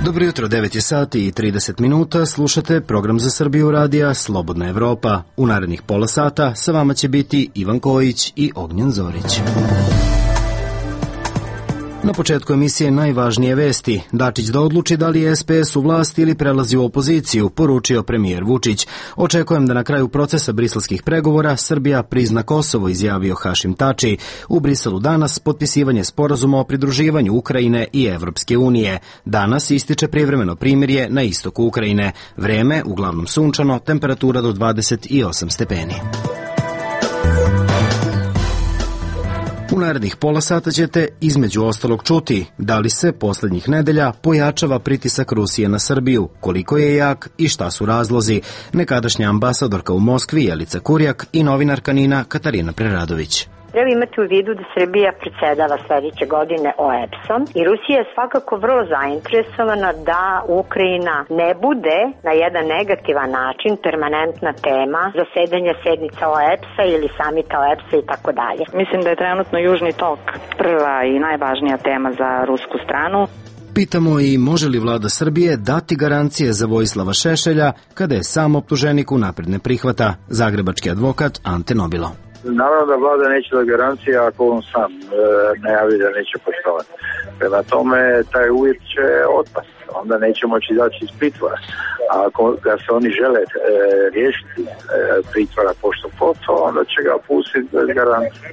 Dobro jutro, 9 je sati i 30 minuta, slušate program za Srbiju radija Slobodna Evropa. U narednih pola sata sa vama će biti Ivan Kojić i Ognjen Zorić. Na početku emisije najvažnije vesti. Dačić da odluči da li je SPS u vlasti ili prelazi u opoziciju, poručio premijer Vučić. Očekujem da na kraju procesa briselskih pregovora Srbija prizna Kosovo, izjavio Hašim Tači. U Briselu danas potpisivanje sporazuma o pridruživanju Ukrajine i Evropske unije. Danas ističe privremeno primirje na istoku Ukrajine. Vreme uglavnom sunčano, temperatura do 28 stepeni. U narednih pola sata ćete između ostalog čuti da li se poslednjih nedelja pojačava pritisak Rusije na Srbiju, koliko je jak i šta su razlozi. Nekadašnja ambasadorka u Moskvi Jelica Kurjak i novinarka NIN-a Katarina Preradović. Treba imati u vidu da Srbija predsjedava sledeće godine OEBS-om i Rusija je svakako vrlo zainteresovana da Ukrajina ne bude na jedan negativan način permanentna tema zasedanja sednica OEBS-a ili samita OEBS-a i tako dalje. Mislim da je trenutno Južni tok prva i najvažnija tema za rusku stranu. Pitamo i može li vlada Srbije dati garancije za Vojislava Šešelja kada je sam optuženik unapred ne prihvata, zagrebački advokat Ante Nobilo. Naravno da vlada neće da garancija ako on sam najavi da neće poštovati. Prema tome, taj uvjet će otpasti. Onda neće moći izaći iz pritvora. A ako ga se oni žele riješiti pritvora pošto poto, onda će ga pustiti bez garancije.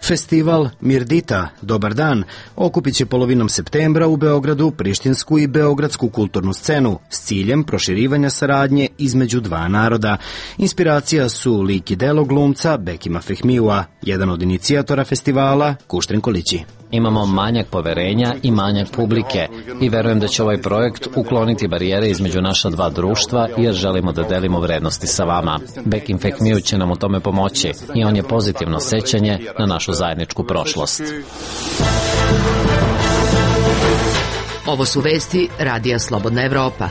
Festival Mirdita, dobar dan, okupit će polovinom septembra u Beogradu prištinsku i beogradsku kulturnu scenu s ciljem proširivanja saradnje između dva naroda. Inspiracija su lik i delo glumca Bekima Fehmijua, jedan od inicijatora festivala Kuštrin Kolići. Imamo manjak poverenja i manjak publike i verujem da će ovaj projekt ukloniti barijere između naša dva društva jer želimo da delimo vrednosti sa vama. Bekim Fehmiju će nam u tome pomoći i on je pozitivno sećanje na našu zajedničku prošlost. Ovo su vesti Radija Slobodna Evropa.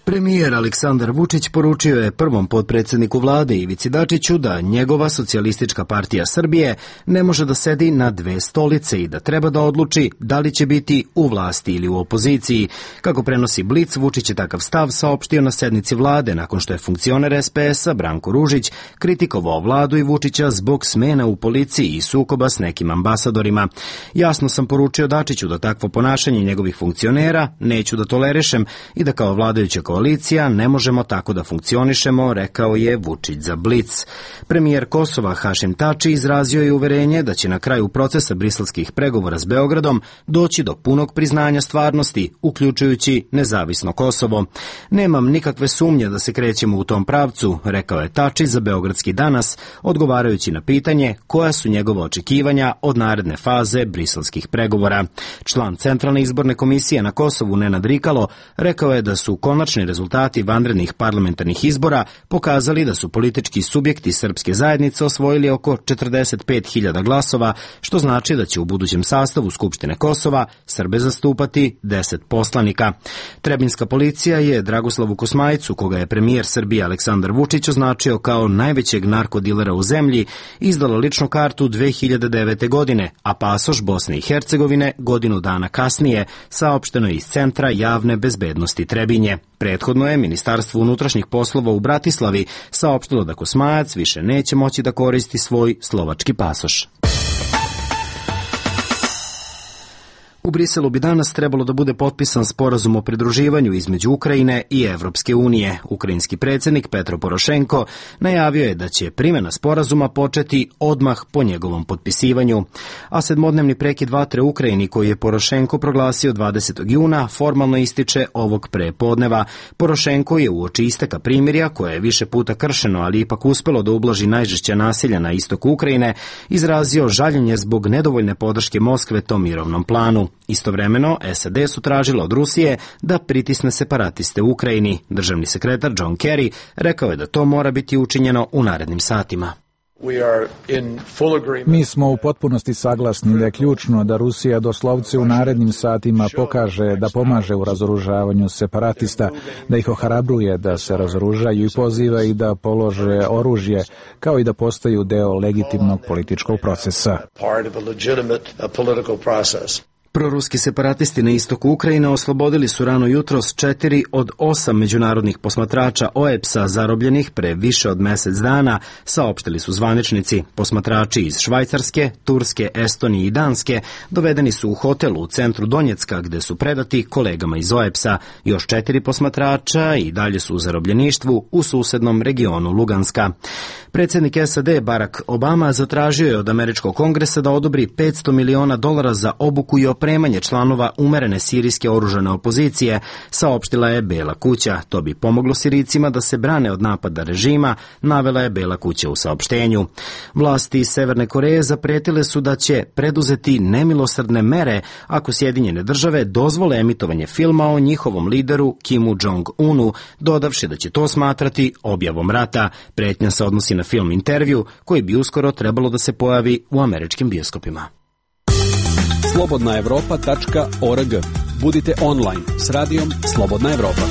Premijer Aleksandar Vučić poručio je prvom potpredsjedniku vlade Ivici Dačiću da njegova Socijalistička partija Srbije ne može da sedi na dve stolice i da treba da odluči da li će biti u vlasti ili u opoziciji. Kako prenosi Blic, Vučić je takav stav saopštio na sednici vlade nakon što je funkcioner SPS-a Branko Ružić kritikovao vladu i Vučića zbog smena u policiji i sukoba s nekim ambasadorima. Jasno sam poručio Dačiću da takvo ponašanje njegovih funkcionera neću da tolerišem i da kao vladajuća koalicija ne možemo tako da funkcionišemo, rekao je Vučić za Blic. Premijer Kosova Hašim Tači izrazio je uverenje da će na kraju procesa briselskih pregovora s Beogradom doći do punog priznanja stvarnosti, uključujući nezavisno Kosovo. Nemam nikakve sumnje da se krećemo u tom pravcu, rekao je Tači za Beogradski danas, odgovarajući na pitanje koja su njegova očekivanja od naredne faze briselskih pregovora. Član Centralne izborne komisije na Kosovu Nenad Rikalo rekao je da su konačni rezultati vanrednih parlamentarnih izbora pokazali da su politički subjekti srpske zajednice osvojili oko 45.000 glasova, što znači da će u budućem sastavu Skupštine Kosova Srbe zastupati 10 poslanika. Trebinska policija je Dragoslavu Kosmajicu, koga je premijer Srbije Aleksandar Vučić označio kao najvećeg narkodilera u zemlji, izdala ličnu kartu 2009. godine, a pasoš Bosne i Hercegovine godinu dana kasnije, saopšteno je iz Centra javne bezbednosti Trebinje. Prethodno je Ministarstvo unutrašnjih poslova u Bratislavi saopštilo da Kosmajac više neće moći da koristi svoj slovački pasoš. U Briselu bi danas trebalo da bude potpisan sporazum o pridruživanju između Ukrajine i Evropske unije. Ukrajinski predsjednik Petro Porošenko najavio je da će primjena sporazuma početi odmah po njegovom potpisivanju. A sedmodnevni prekid vatre u Ukrajini koji je Porošenko proglasio 20. juna formalno ističe ovog prepodneva. Porošenko je uoči isteka primirja, koje je više puta kršeno, ali ipak uspelo da ublaži najžešća nasilja na istoku Ukrajine, izrazio žaljenje zbog nedovoljne podrške Moskve tom mirovnom planu. Istovremeno, SAD su tražile od Rusije da pritisne separatiste u Ukrajini. Državni sekretar John Kerry rekao je da to mora biti učinjeno u narednim satima. Mi smo u potpunosti saglasni da je ključno da Rusija doslovce u narednim satima pokaže da pomaže u razoružavanju separatista, da ih ohrabruje da se razoružaju i poziva ih da polože oružje, kao i da postaju deo legitimnog političkog procesa. Proruski separatisti na istoku Ukrajine oslobodili su rano jutros 4 od 8 međunarodnih posmatrača OEBS-a zarobljenih pre više od mesec dana, saopštili su zvaničnici. Posmatrači iz Švajcarske, Turske, Estonije i Danske dovedeni su u hotelu u centru Donjecka gde su predati kolegama iz OEBS-a. Još 4 posmatrača i dalje su u zarobljeništvu u susednom regionu Luganska. Predsjednik SAD Barack Obama zatražio je od američkog kongresa da odobri $500 miliona za obuku i opremanje članova umerene sirijske oružane opozicije, saopštila je Bela kuća. To bi pomoglo Sirijcima da se brane od napada režima, navela je Bela kuća u saopštenju. Vlasti Severne Koreje zapretile su da će preduzeti nemilosrdne mere ako Sjedinjene države dozvole emitovanje filma o njihovom lideru Kimu Jong-unu, dodavši da će to smatrati objavom rata. Pretnja se odnosi na film Intervju, koji bi uskoro trebalo da se pojavi u američkim bioskopima. slobodnaevropa.org. Budite online s radijom Slobodna Evropa.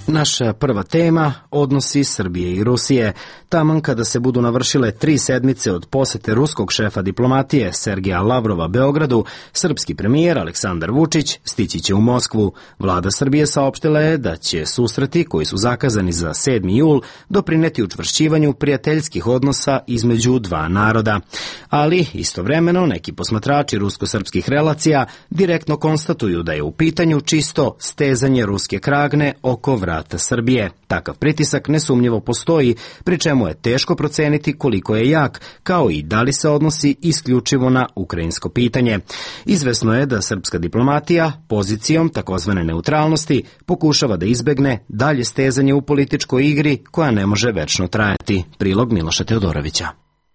Naša prva tema odnosi Srbije i Rusije. Taman kada se budu navršile 3 sedmice od posete ruskog šefa diplomatije Sergeja Lavrova Beogradu, srpski premijer Aleksandar Vučić stići će u Moskvu. Vlada Srbije saopštila je da će susreti koji su zakazani za 7. jul doprineti učvršćivanju prijateljskih odnosa između dva naroda. Ali istovremeno neki posmatrači rusko-srpskih relacija direktno konstatuju da je u pitanju čisto stezanje ruske kragne oko vrata Srbije. Takav pritisak nesumnjivo postoji, pri čemu je teško proceniti koliko je jak, kao i da li se odnosi isključivo na ukrajinsko pitanje. Izvesno je da srpska diplomatija pozicijom takozvane neutralnosti pokušava da izbegne dalje stezanje u političkoj igri koja ne može večno trajati. Prilog Miloša Teodorovića.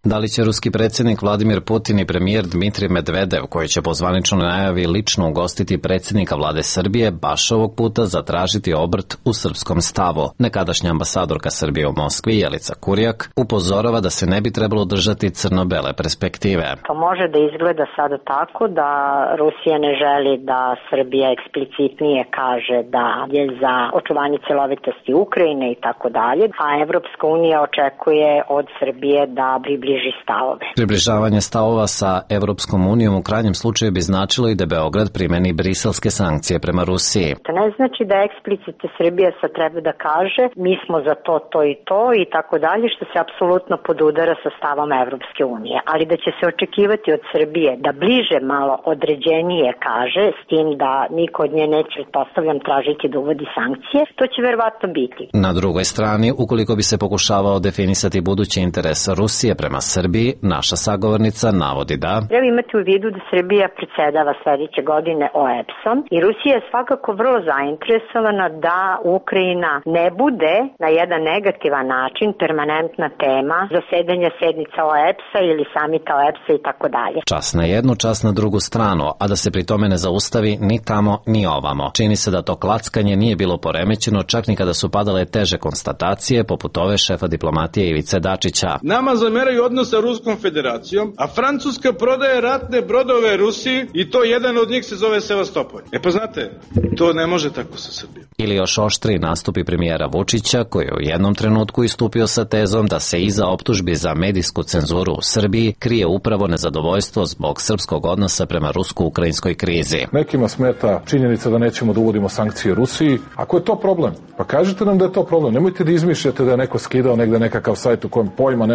Da li će ruski predsjednik Vladimir Putin i premijer Dmitrij Medvedev, koji će po zvaničnoj najavi lično ugostiti predsjednika vlade Srbije, baš ovog puta zatražiti obrt u srpskom stavu? Nekadašnja ambasadorka Srbije u Moskvi, Jelica Kurjak, upozorava da se ne bi trebalo držati crno-bele perspektive. To može da izgleda sada tako da Rusija ne želi da Srbija eksplicitnije kaže da je za očuvanje celovitosti Ukrajine i tako dalje, a Evropska unija očekuje od Srbije da stavove. Približavanje stavova sa Evropskom unijom u krajnjem slučaju bi značilo i da Beograd primeni briselske sankcije prema Rusiji. To ne znači da eksplicite Srbija sad treba da kaže mi smo za to, to i to i tako dalje, što se apsolutno podudara sa stavom Evropske unije, ali da će se očekivati od Srbije da bliže malo određenije kaže, s tim da niko od nje neće, postavljam, tražiti da uvodi sankcije, to će verovatno biti. Na drugoj strani, ukoliko bi se pokušavao definisati budući interes Rusije prema Srbiji, naša sagovornica navodi da treba imati u vidu da Srbija predsjedava sledeće godine OEBS-om i Rusija je svakako vrlo zainteresovana da Ukrajina ne bude na jedan negativan način permanentna tema zasedanja sednica OEBS-a ili samita OEBS-a i tako dalje. Čas na jednu, čas na drugu stranu, a da se pri tome ne zaustavi ni tamo ni ovamo. Čini se da to klackanje nije bilo poremećeno čak ni kada su padale teže konstatacije poput ove šefa diplomatije Ivice Dačića. Nama zameraju odnos sa Ruskom federacijom, a Francuska prodaje ratne brodove Rusiji i to jedan od njih se zove Sevastopol. Pa znate, to ne može tako sa Srbijom. Ili još oštri nastupi premijera Vučića, koji je u jednom trenutku istupio sa tezom da se iza optužbi za medijsku cenzuru u Srbiji krije upravo nezadovoljstvo zbog srpskog odnosa prema rusko-ukrajinskoj krizi. Nekima smeta činjenica da nećemo da uvodimo sankcije Rusiji. Ako je to problem, pa kažite nam da je to problem. Nemojte da izmišljate da je neko skidao negde nekakav sajt u kojem pojma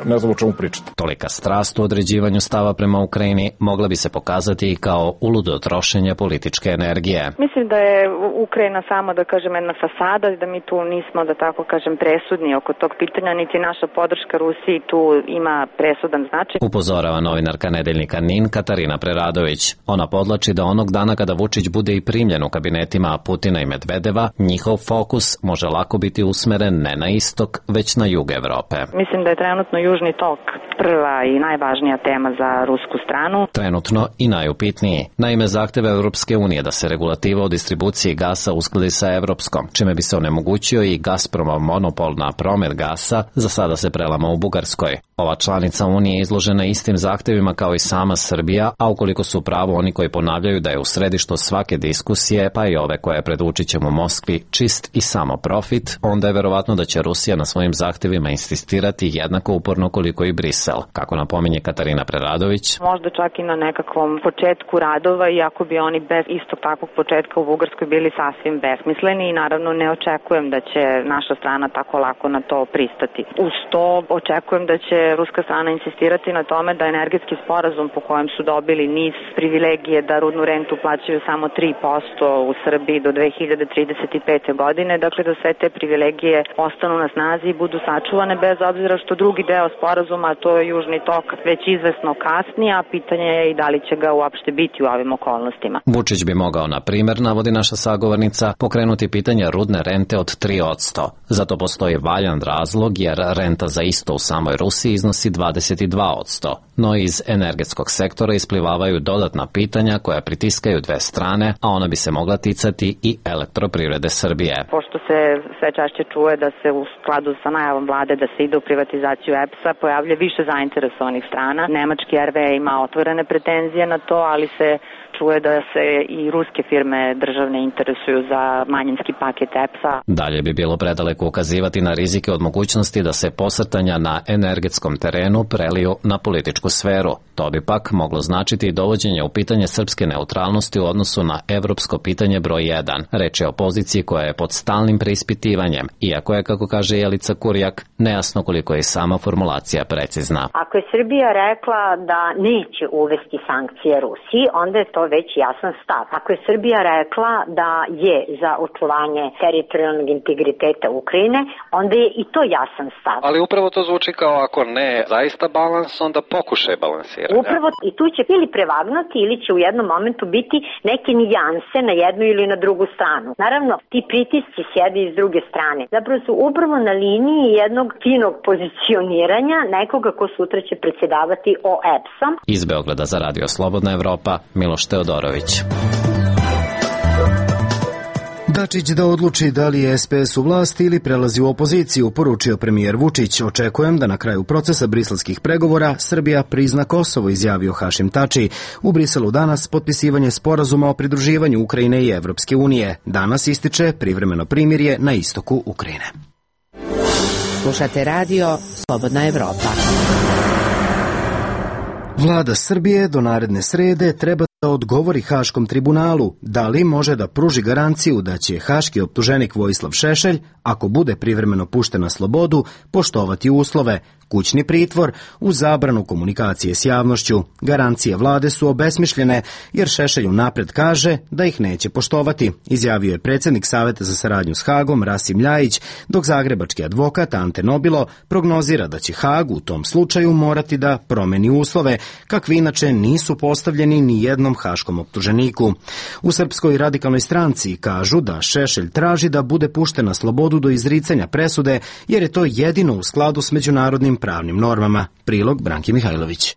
ne znam o čemu pričate. Tolika strast u određivanju stava prema Ukrajini mogla bi se pokazati i kao uludo trošenje političke energije. Mislim da je Ukrajina samo, da kažem, jedna fasada i da mi tu nismo, da tako kažem, presudni oko tog pitanja, niti naša podrška Rusiji tu ima presudan značaj. Upozorava novinarka nedeljnika NIN Katarina Preradović. Ona podlači da onog dana kada Vučić bude i primljen u kabinetima Putina i Medvedeva, njihov fokus može lako biti usmeren ne na istok, već na jug Evrope. Mislim da je trenutno Južni tok prva i najvažnija tema za rusku stranu. Trenutno i najupitniji. Naime, zahteve Evropske unije da se regulativa o distribuciji gasa uskladi sa evropskom, čime bi se onemogućio i Gazpromov monopol na promet gasa, za sada se prelama u Bugarskoj. Ova članica Unije je izložena istim zahtevima kao i sama Srbija, a ukoliko su pravo oni koji ponavljaju da je u središtu svake diskusije, pa i ove koje je pred Vučićem u Moskvi čist i samo profit, onda je verovatno da će Rusija na svojim zahtevima insistirati jednako uporno koliko i Brisel, kako napominje Katarina Preradović. Možda čak i na nekakvom početku radova, iako bi oni bez istog takvog početka u Bugarskoj bili sasvim besmisleni i naravno ne očekujem da će naša strana tako lako na to pristati. Uz to očekujem da će ruska strana insistirati na tome da energetski sporazum po kojem su dobili niz privilegije da rudnu rentu plaćaju samo 3% u Srbiji do 2035. godine, dakle da sve te privilegije ostanu na snazi i budu sačuvane bez obzira što drugi deo sporazuma, to je Južni tok, već izvesno kasni, a pitanje je i da li će ga uopšte biti u ovim okolnostima. Vučić bi mogao, na primer, navodi naša sagovornica, pokrenuti pitanje rudne rente od 3%. Zato postoji valjan razlog jer renta za isto u samoj Rusiji iznosi 22%. No iz energetskog sektora isplivavaju dodatna pitanja koja pritiskaju dve strane, a ona bi se mogla ticati i Elektroprivrede Srbije. Pošto se sve češće čuje da se u skladu sa najavom vlade da se ide u privatizaciju EPS-a pojavlja više zainteresovanih strana. Nemački RWE ima otvorene pretenzije na to, ali se čuje da se i ruske firme državne interesuju za manjinski paket EPS-a. Dalje bi bilo predaleko ukazivati na rizike od mogućnosti da se posrtanja na energetskom terenu preliju na političku sferu. To bi pak moglo značiti i dovođenje u pitanje srpske neutralnosti u odnosu na evropsko pitanje broj 1. Reč je o poziciji koja je pod stalnim preispitivanjem, iako je, kako kaže Jelica Kurjak, nejasno koliko je sama formulacija precizna. Ako je Srbija rekla da neće uvesti sankcije Rusiji, onda je to već jasan stav. Ako je Srbija rekla da je za očuvanje teritorijalnog integriteta Ukrajine, onda je i to jasan stav. Ali upravo to zvuči kao ako ne zaista balans, onda pokušaj balansiranja. Upravo i tu će ili prevagnuti ili će u jednom momentu biti neke nijanse na jednu ili na drugu stranu. Naravno, ti pritisci sjede iz druge strane. Zapravo su upravo na liniji jednog finog pozicioniranja nekoga ko sutra će predsjedavati OEBS-om. Iz Beograda za Radio Slobodna Evropa, Miloš Teodorović. Dačić da odluči da li je SPS u vlasti ili prelazi u opoziciju, poručio premijer Vučić. Očekujem da na kraju procesa briselskih pregovora Srbija prizna Kosovo, izjavio Hašim Tači. U Briselu danas potpisivanje sporazuma o pridruživanju Ukrajine i Evropske unije. Danas ističe privremeno primirje na istoku Ukrajine. Slušate radio Slobodna Evropa. Vlada Srbije do naredne srede treba da odgovori Haškom tribunalu da li može da pruži garanciju da će haški optuženik Vojislav Šešelj, ako bude privremeno pušten na slobodu, poštovati uslove, kućni pritvor uz zabranu komunikacije s javnošću. Garancije vlade su obesmišljene jer Šešelj unapred kaže da ih neće poštovati, izjavio je predsjednik Saveta za saradnju s Hagom Rasim Ljajić, dok zagrebački advokat Ante Nobilo prognozira da će Hag u tom slučaju morati da promeni uslove, kakvi inače nisu postavljeni ni jednom haškom optuženiku. U Srpskoj radikalnoj stranci kažu da Šešelj traži da bude pušten na slobodu do izricanja presude, jer je to jedino u skladu s međunarodnim pravnim normama. Prilog Branki Mihajlović.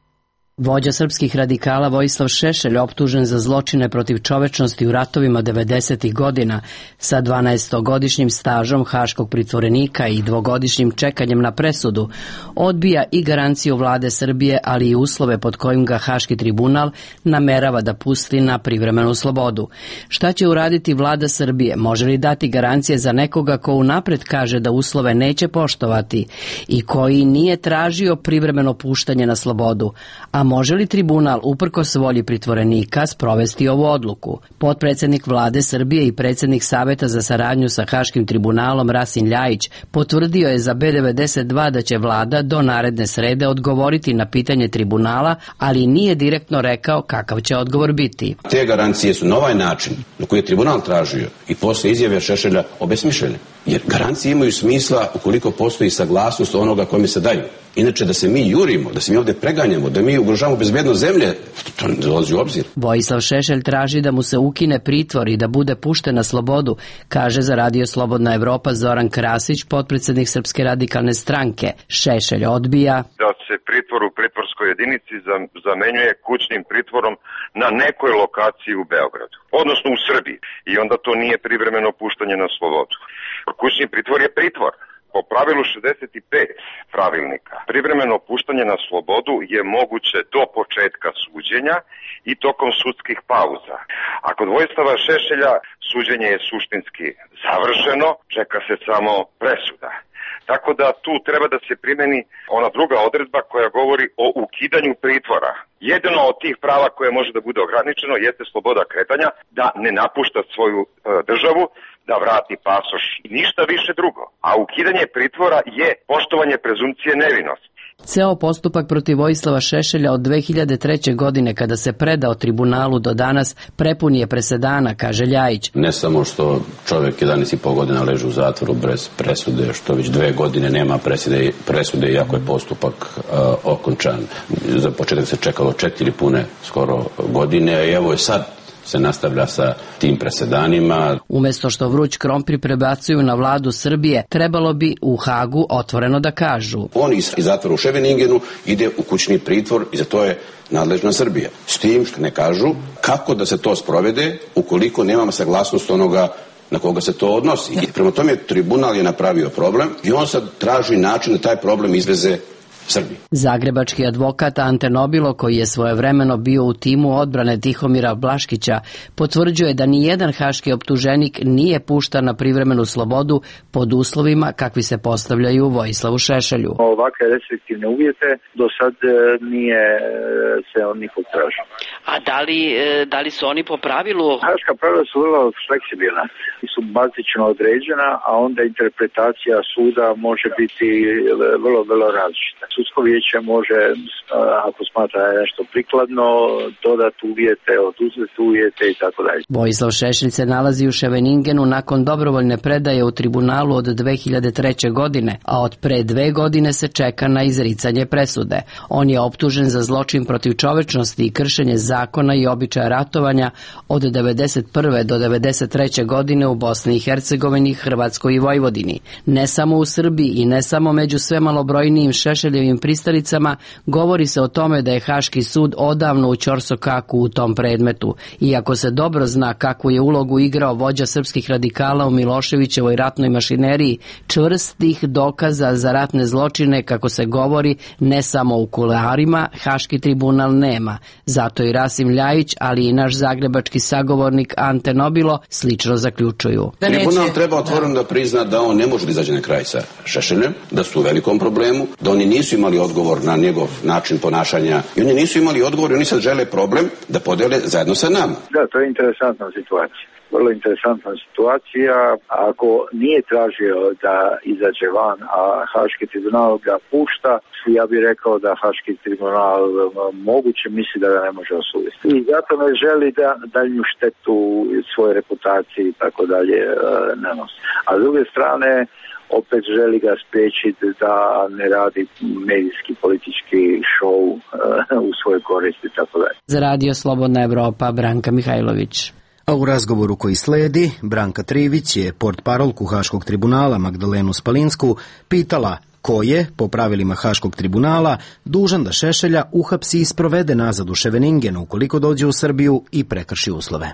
Vođa srpskih radikala Vojislav Šešelj, optužen za zločine protiv čovečnosti u ratovima 90. godina, sa 12-godišnjim stažom haškog pritvorenika i 2-godišnjim čekanjem na presudu, odbija i garanciju vlade Srbije, ali i uslove pod kojim ga Haški tribunal namerava da pusti na privremenu slobodu. Šta će uraditi vlada Srbije? Može li dati garancije za nekoga ko unapred kaže da uslove neće poštovati i koji nije tražio privremeno puštanje na slobodu? A može li tribunal uprkos volji pritvorenika sprovesti ovu odluku? Potpredsjednik vlade Srbije i predsjednik Saveta za saradnju sa Haškim tribunalom Rasim Ljajić potvrdio je za B92 da će vlada do naredne srede odgovoriti na pitanje tribunala, ali nije direktno rekao kakav će odgovor biti. Te garancije su na ovaj način na koji je tribunal tražio i posle izjave Šešelja obesmišljene. Jer garancije imaju smisla ukoliko postoji saglasnost onoga kome se daju. Inače, da se mi jurimo, da se mi ovde preganjamo, da mi ugrožavamo bezbednost zemlje, to ne dolazi u obzir. Vojislav Šešelj traži da mu se ukine pritvor i da bude pušten na slobodu, kaže za Radio Slobodna Evropa Zoran Krasić, potpredsjednik Srpske radikalne stranke. Šešelj odbija da se pritvor u pritvorskoj jedinici zamenjuje kućnim pritvorom na nekoj lokaciji u Beogradu, odnosno u Srbiji. I onda to nije privremeno puštanje na slobodu. Kućni pritvor je pritvor. Po pravilu 65 pravilnika, privremeno puštanje na slobodu je moguće do početka suđenja i tokom sudskih pauza. A kod Vojislava Šešelja suđenje je suštinski završeno, čeka se samo presuda. Tako da tu treba da se primeni ona druga odredba koja govori o ukidanju pritvora. Jedno od tih prava koje može da bude ograničeno jeste sloboda kretanja, da ne napušta svoju državu, da vrati pasoš i ništa više drugo. A ukidanje pritvora je poštovanje prezumcije nevinosti. Ceo postupak protiv Vojislava Šešelja od 2003. godine kada se predao tribunalu do danas prepun je presedana, kaže Ljajić. Ne samo što čovjek 11,5 godina leži u zatvoru bez presude, što već 2 godine nema presude iako je postupak okončan. Za početak se čekalo 4 pune skoro godine i evo je sad se nastavlja sa tim presedanima. Umesto što vruć krompir prebacuju na vladu Srbije, trebalo bi u Hagu otvoreno da kažu. On iz zatvora u Scheveningenu ide u kućni pritvor i za to je nadležna Srbija. S tim što ne kažu kako da se to sprovede ukoliko nemamo saglasnost onoga na koga se to odnosi. I prema tome tribunal je napravio problem i on sad traži način da taj problem izveze Srbiji. Zagrebački advokat Ante Nobilo, koji je svojevremeno bio u timu odbrane Tihomira Blaškića, potvrđuje da ni jedan haški optuženik nije puštan na privremenu slobodu pod uslovima kakvi se postavljaju Vojislavu Šešelju. Ovakve restriktivne uvjete do sad nije se od nikog tražio. A da li su oni po pravilu? Haška pravila su vrlo fleksibilna i su bazično određena, a onda interpretacija suda može biti vrlo različita. Sudsko vijeće može, ako smatra nešto prikladno, dodati uvjete, oduzeti uvjete i tako dalje. Vojislav Šešelj se nalazi u Scheveningenu nakon dobrovoljne predaje u tribunalu od 2003. godine, a od pre 2 godine se čeka na izricanje presude. On je optužen za zločin protiv čovečnosti i kršenje zakona i običaja ratovanja od 1991. do 1993. godine u Bosni i Hercegovini, Hrvatskoj i Vojvodini. Ne samo u Srbiji i ne samo među sve malobrojnijim Šešeljevim pristalicama, govori se o tome da je Haški sud odavno u ćorsokaku u tom predmetu. Iako se dobro zna kakvu je ulogu igrao vođa srpskih radikala u Miloševićevoj ratnoj mašineriji, čvrstih dokaza za ratne zločine, kako se govori, ne samo u kuloarima, Haški tribunal nema. Zato i Rasim Ljajić, ali i naš zagrebački sagovornik Ante Nobilo slično zaključuju. Tribunal treba otvoreno da prizna da on ne može da izađe na kraj sa Šešeljem, da su u velikom problemu, da oni nisu imali odgovor na njegov način ponašanja i oni nisu imali odgovor i oni sad žele problem da podele zajedno sa nama. Da, to je interesantna situacija. Vrlo interesantna situacija. Ako nije tražio da izađe van, a Haški tribunal ga pušta, ja bih rekao da Haški tribunal moguće misli da ga ne može osuditi. I zato ne želi da daljnju štetu svoje reputacije i tako dalje nanosi. A s druge strane, opet želi ga spriječiti da ne radi medijski politički šou u svojoj koristi i tako dalje. Za Radio Slobodna Evropa, Branka Mihajlović. A u razgovoru koji sledi, Branka Trivić je portparolku Haškog tribunala Magdalenu Spalinsku pitala ko je, po pravilima Haškog tribunala, dužan da Šešelja uhapsi i sprovede nazad u Scheveningenu ukoliko dođe u Srbiju i prekrši uslove.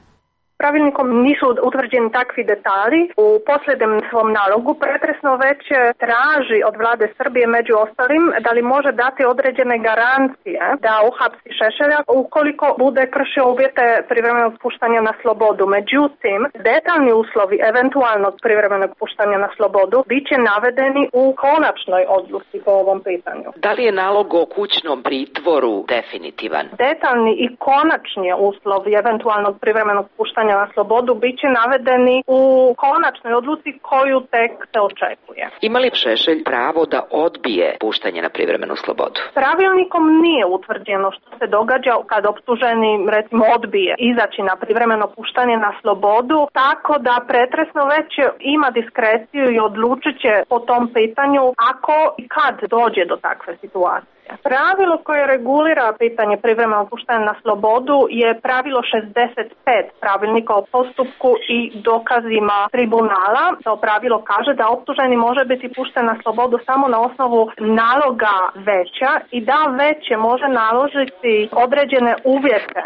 Pravilnikom nisu utvrđeni takvi detalji. U posljednjem svom nalogu pretresno već traži od vlade Srbije među ostalim da li može dati određene garancije da uhapsi Šešelja ukoliko bude kršio uvjete privremenog puštanja na slobodu. Međutim, detaljni uslovi eventualnog privremenog puštanja na slobodu bit će navedeni u konačnoj odluci po ovom pitanju. Da li je nalog o kućnom pritvoru definitivan? Detaljni i konačni uslovi eventualnog privremenog puštanja na slobodu bit će navedeni u konačnoj odluci koju tek se očekuje. Ima li Šešelj pravo da odbije puštanje na privremenu slobodu? Pravilnikom nije utvrđeno što se događa kad optuženi recimo odbije izaći na privremeno puštanje na slobodu, tako da pretresno već ima diskreciju i odlučit će po tom pitanju ako i kad dođe do takve situacije. Pravilo koje regulira pitanje privremenog puštanja na slobodu je pravilo 65 pravilnika o postupku i dokazima tribunala. To pravilo kaže da optuženi može biti pušten na slobodu samo na osnovu naloga veća i da veće može naložiti određene uvjete.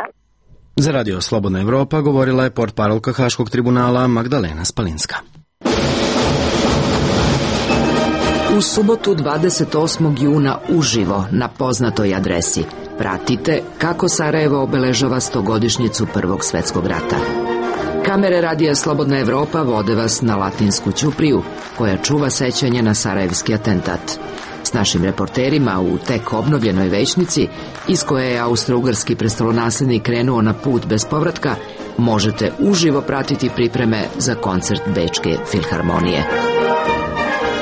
Za Radio Slobodna Evropa govorila je portparolka Haškog tribunala Magdalena Spalinska. U subotu 28. juna uživo na poznatoj adresi pratite kako Sarajevo obeležava 100-godišnjicu Prvog svetskog rata. Kamere radija Slobodna Evropa vode vas na Latinsku ćupriju, koja čuva sećanje na sarajevski atentat. S našim reporterima u tek obnovljenoj većnici, iz koje je austro-ugarski prestolonaslednik krenuo na put bez povratka, možete uživo pratiti pripreme za koncert Bečke filharmonije.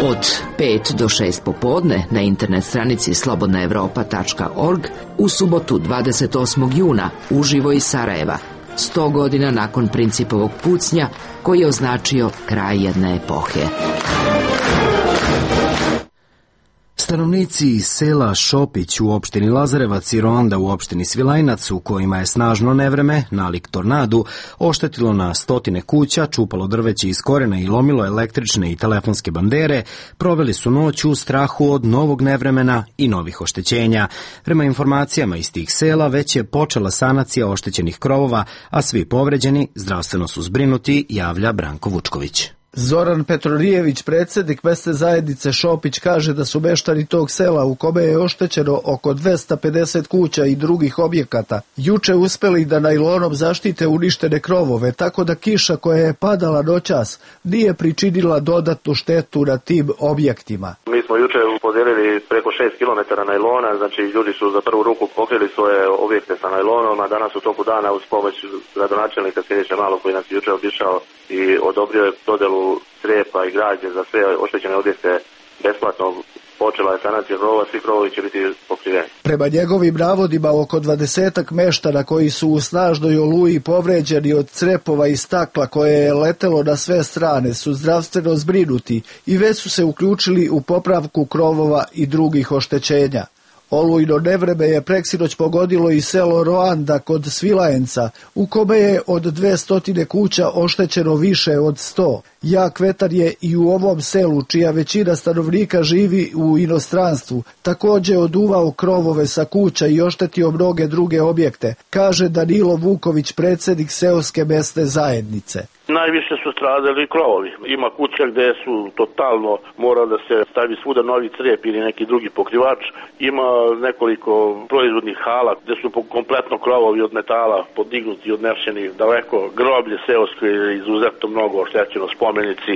Od 5 do 6 popodne na internet stranici slobodnaevropa.org u subotu 28. juna uživo iz Sarajeva, 100 godina nakon Principovog pucnja koji je označio kraj jedne epohe. Stanovnici sela Šopić u opštini Lazarevac i Ronda u opštini Svilajnac, u kojima je snažno nevreme, nalik tornadu, oštetilo na stotine kuća, čupalo drveće iz korena i lomilo električne i telefonske bandere, proveli su noć u strahu od novog nevremena i novih oštećenja. Prema informacijama iz tih sela već je počela sanacija oštećenih krovova, a svi povređeni zdravstveno su zbrinuti, javlja Branko Vučković. Zoran Petronijević, predsjednik mesne zajednice Šopić, kaže da su meštani tog sela, u kome je oštećeno oko 250 kuća i drugih objekata, juče uspeli da najlonom zaštite uništene krovove, tako da kiša koja je padala noćas nije pričinila dodatnu štetu na tim objektima. Mi smo juče podijelili preko 6 km najlona, znači ljudi su za prvu ruku pokrili svoje objekte sa najlonom, a danas u toku dana uz pomoć gradonačelnika Siniše Malog, koji nas je juče obišao i odobrio je dodelu crepa i građe za sve oštećene objekte besplatno, počela je sanacija krovova, svi krovovi će biti pokriveni. Prema njegovim navodima, oko 20 meštana koji su u snažnoj oluji povređeni od crepova i stakla koje je letelo na sve strane su zdravstveno zbrinuti i već su se uključili u popravku krovova i drugih oštećenja. Olujno nevreme je preksinoć pogodilo i selo Roanda kod Svilajenca, u kome je od 200 kuća oštećeno više od 100. Jak vetar je i u ovom selu, čija većina stanovnika živi u inostranstvu, također oduvao krovove sa kuća i oštetio mnoge druge objekte, kaže Danilo Vuković, predsjednik seoske mesne zajednice. Najviše su stradali krovovi. Ima kuća gde su totalno mora da se stavi svuda novi crep ili neki drugi pokrivač. Ima nekoliko proizvodnih hala gde su kompletno krovovi od metala podignuti, odnešeni daleko. Groblje seosko je izuzetno mnogo oštećeno, spomenici.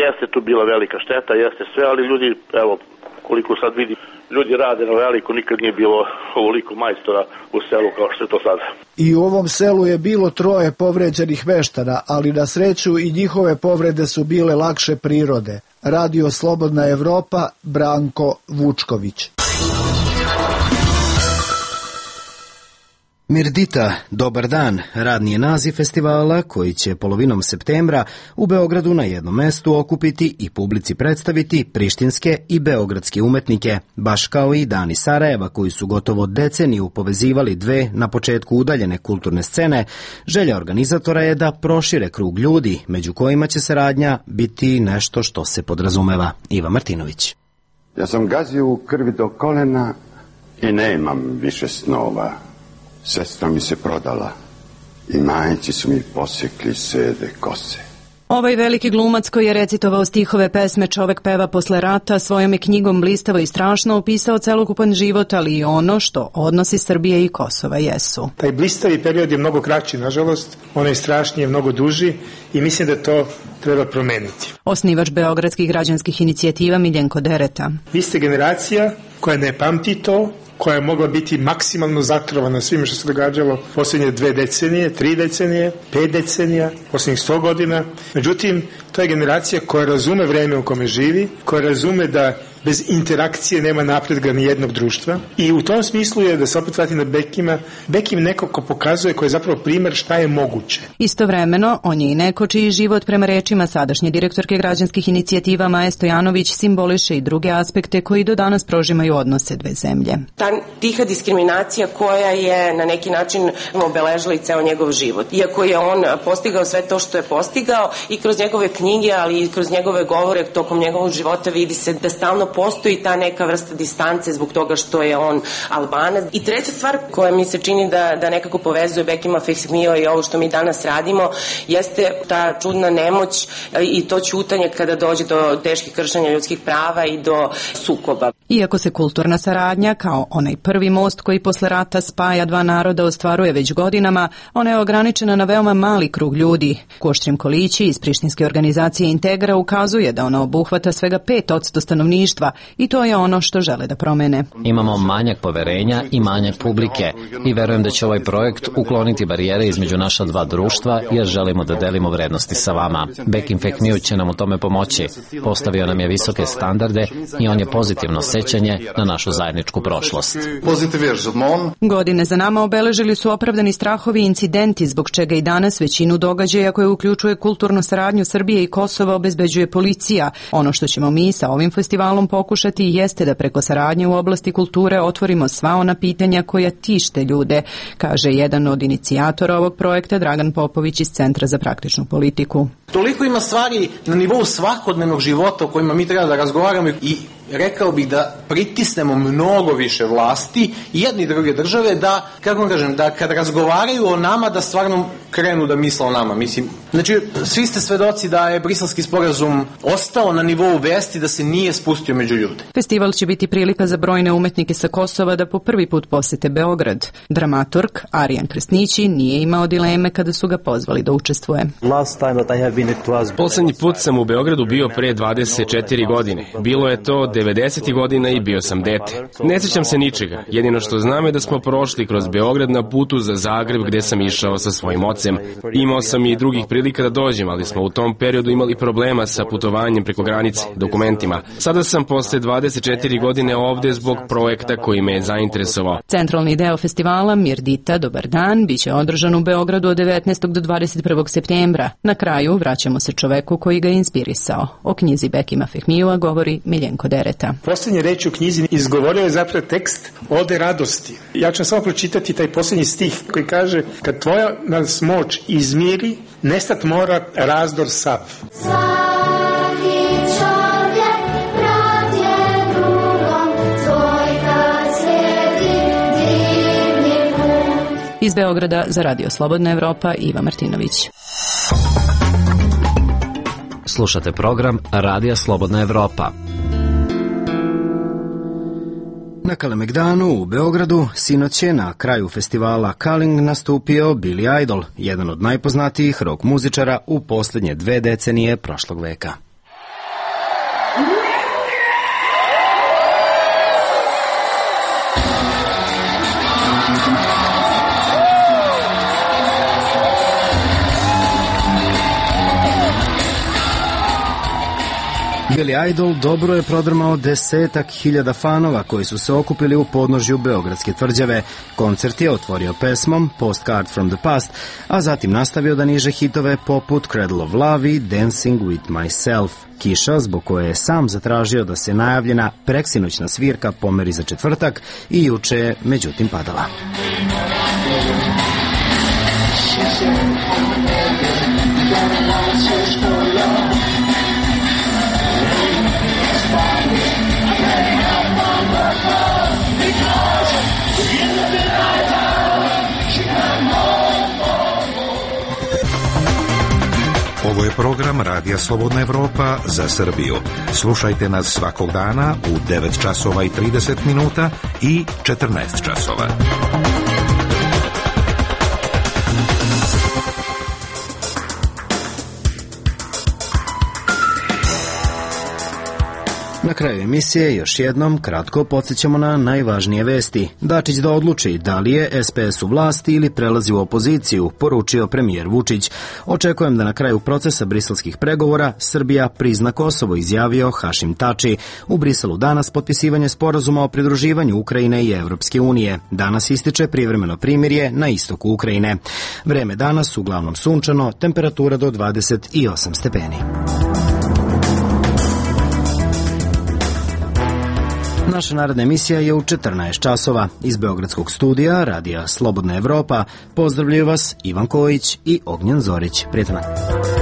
Jeste tu bila velika šteta, jeste sve, ali ljudi, evo, koliko sad vidi, ljudi rade na veliko, nikad nije bilo ovoliko majstora u selu kao što je to sada. I u ovom selu je bilo 3 povređenih meštana, ali na sreću i njihove povrede su bile lakše prirode. Radio Slobodna Evropa, Branko Vučković. Mirdita, dobar dan, radni je naziv festivala koji će polovinom septembra u Beogradu na jednom mestu okupiti i publici predstaviti prištinske i beogradske umetnike, baš kao i Dani Sarajeva koji su gotovo deceniju povezivali dve na početku udaljene kulturne scene. Želja organizatora je da prošire krug ljudi, među kojima će saradnja biti nešto što se podrazumeva. Iva Martinović. Ja sam gazio u krvi do kolena i nemam više snova. Sestra mi se prodala i majci su mi posjekli sede kose. Ovaj veliki glumac koji je recitovao stihove pesme Čovek peva posle rata svojom je knjigom blistavo i strašno opisao celokupan život, ali i ono što odnosi Srbije i Kosova jesu. Taj blistavi period je mnogo kraći, nažalost, onaj strašniji je mnogo duži i mislim da to treba promeniti. Osnivač beogradskih građanskih inicijativa Miljenko Dereta. Vi ste generacija koja ne pamti to, koja je mogla biti maksimalno zatrovana svime što se događalo posljednje 2 decenije, 3 decenije, 5 decenija, posljednjih 100 godina. Međutim, to je generacija koja razume vreme u kome živi, koja razume da bez interakcije nema napretka ni jednog društva i u tom smislu je, da se opet vratim na Bekima, Bekim neko ko pokazuje, koji je zapravo primer šta je moguće. Istovremeno, on je i neko čiji život prema rečima sadašnje direktorke građanskih inicijativa Maje Stojanović simboliše i druge aspekte koji do danas prožimaju odnose dve zemlje. Ta tiha diskriminacija koja je na neki način obeležila i ceo njegov život. Iako je on postigao sve to što je postigao i kroz njegove knjige, ali i kroz njegove govore tokom njegovog života vidi se da stalno postoji ta neka vrsta distance zbog toga što je on Albanac. I treća stvar koja mi se čini da nekako povezuje Bekima Fehmija i ovo što mi danas radimo jeste ta čudna nemoć i to ćutanje kada dođe do teških kršenja ljudskih prava i do sukoba. Iako se kulturna saradnja, kao onaj prvi most koji posle rata spaja dva naroda, ostvaruje već godinama, ona je ograničena na veoma mali krug ljudi. Koštrim Kolići iz prištinske organizacije Integra ukazuje da ona obuhvata svega 5% stanovništva i to je ono što žele da promene. Imamo manjak poverenja i manjak publike i verujem da će ovaj projekt ukloniti barijere između naša dva društva jer želimo da delimo vrednosti sa vama. Bekim Fehmiju će nam u tome pomoći. Postavio nam je visoke standarde i on je pozitivno sećanje na našu zajedničku prošlost. Godine za nama obeležili su opravdani strahovi i incidenti zbog čega i danas većinu događaja koje uključuje kulturnu saradnju Srbije i Kosova obezbeđuje policija. Ono što ćemo mi sa ovim festivalom pokušati jeste da preko saradnje u oblasti kulture otvorimo sva ona pitanja koja tište ljude, kaže jedan od inicijatora ovog projekta Dragan Popović iz Centra za praktičnu politiku. Toliko ima stvari na nivou svakodnevnog života o kojima mi treba da razgovaramo i rekao bih da pritisnemo mnogo više vlasti i jedne i druge države da, kako kažem, da kad razgovaraju o nama da stvarno krenu da misle o nama. Mislim, znači, svi ste svedoci da je Briselski sporazum ostao na nivou vesti, da se nije spustio među ljude. Festival će biti prilika za brojne umetnike sa Kosova da po prvi put posete Beograd. Dramaturg Arijan Krsnići nije imao dileme kada su ga pozvali da učestvuje. Poslednji put sam u Beogradu bio pre 24 godine. Bilo je to 90. godina i bio sam dete. Ne sjećam se ničega. Jedino što znam je da smo prošli kroz Beograd na putu za Zagreb gde sam išao sa svojim ocem. Imao sam i drugih prilika da dođem, ali smo u tom periodu imali problema sa putovanjem preko granice, dokumentima. Sada sam posle 24 godine ovde zbog projekta koji me je zainteresovao. Centralni deo festivala Mirdita, dobar dan, biće održan u Beogradu od 19. do 21. septembra. Na kraju vraćamo se čoveku koji ga je inspirisao. O knjizi Bekima Fehmijua govori Miljenko Dereta. Posljednje reči u knjizi izgovorio je zapravo tekst Ode radosti. Ja ću samo pročitati taj posljednji stih koji kaže: kad tvoja nas moć izmiri, nestat mora razdor sav. Iz Beograda za Radio Slobodna Evropa Iva Martinović. Slušate program Radija Slobodna Evropa. Na Kalemegdanu u Beogradu sinoć je na kraju festivala Kaling nastupio Billy Idol, jedan od najpoznatijih rock muzičara u posljednje 2 decenije prošlog veka. Billy Idol dobro je prodrmao 10.000 fanova koji su se okupili u podnožju Beogradske tvrđave. Koncert je otvorio pesmom Postcard from the Past, a zatim nastavio da niže hitove poput Cradle of Love i Dancing with Myself. Kiša, zbog koje je sam zatražio da se najavljena preksinoćna svirka pomeri za četvrtak i juče je međutim padala. Ovo je program Radija Slobodna Evropa za Srbiju. Slušajte nas svakog dana u 9 časova i 30 minuta i 14 časova. Na kraju emisije još jednom kratko podsjećamo na najvažnije vesti. Dačić da odluči da li je SPS u vlasti ili prelazi u opoziciju, poručio premijer Vučić. Očekujem da na kraju procesa briselskih pregovora Srbija prizna Kosovo, izjavio Hašim Tači. U Briselu danas potpisivanje sporazuma o pridruživanju Ukrajine i Evropske unije. Danas ističe privremeno primirje na istoku Ukrajine. Vreme danas uglavnom sunčano, temperatura do 28 stepeni. Naša naredna emisija je u 14 časova. Iz Beogradskog studija Radija Slobodna Evropa pozdravljaju vas Ivan Kojić i Ognjen Zorić. Prijetan dan.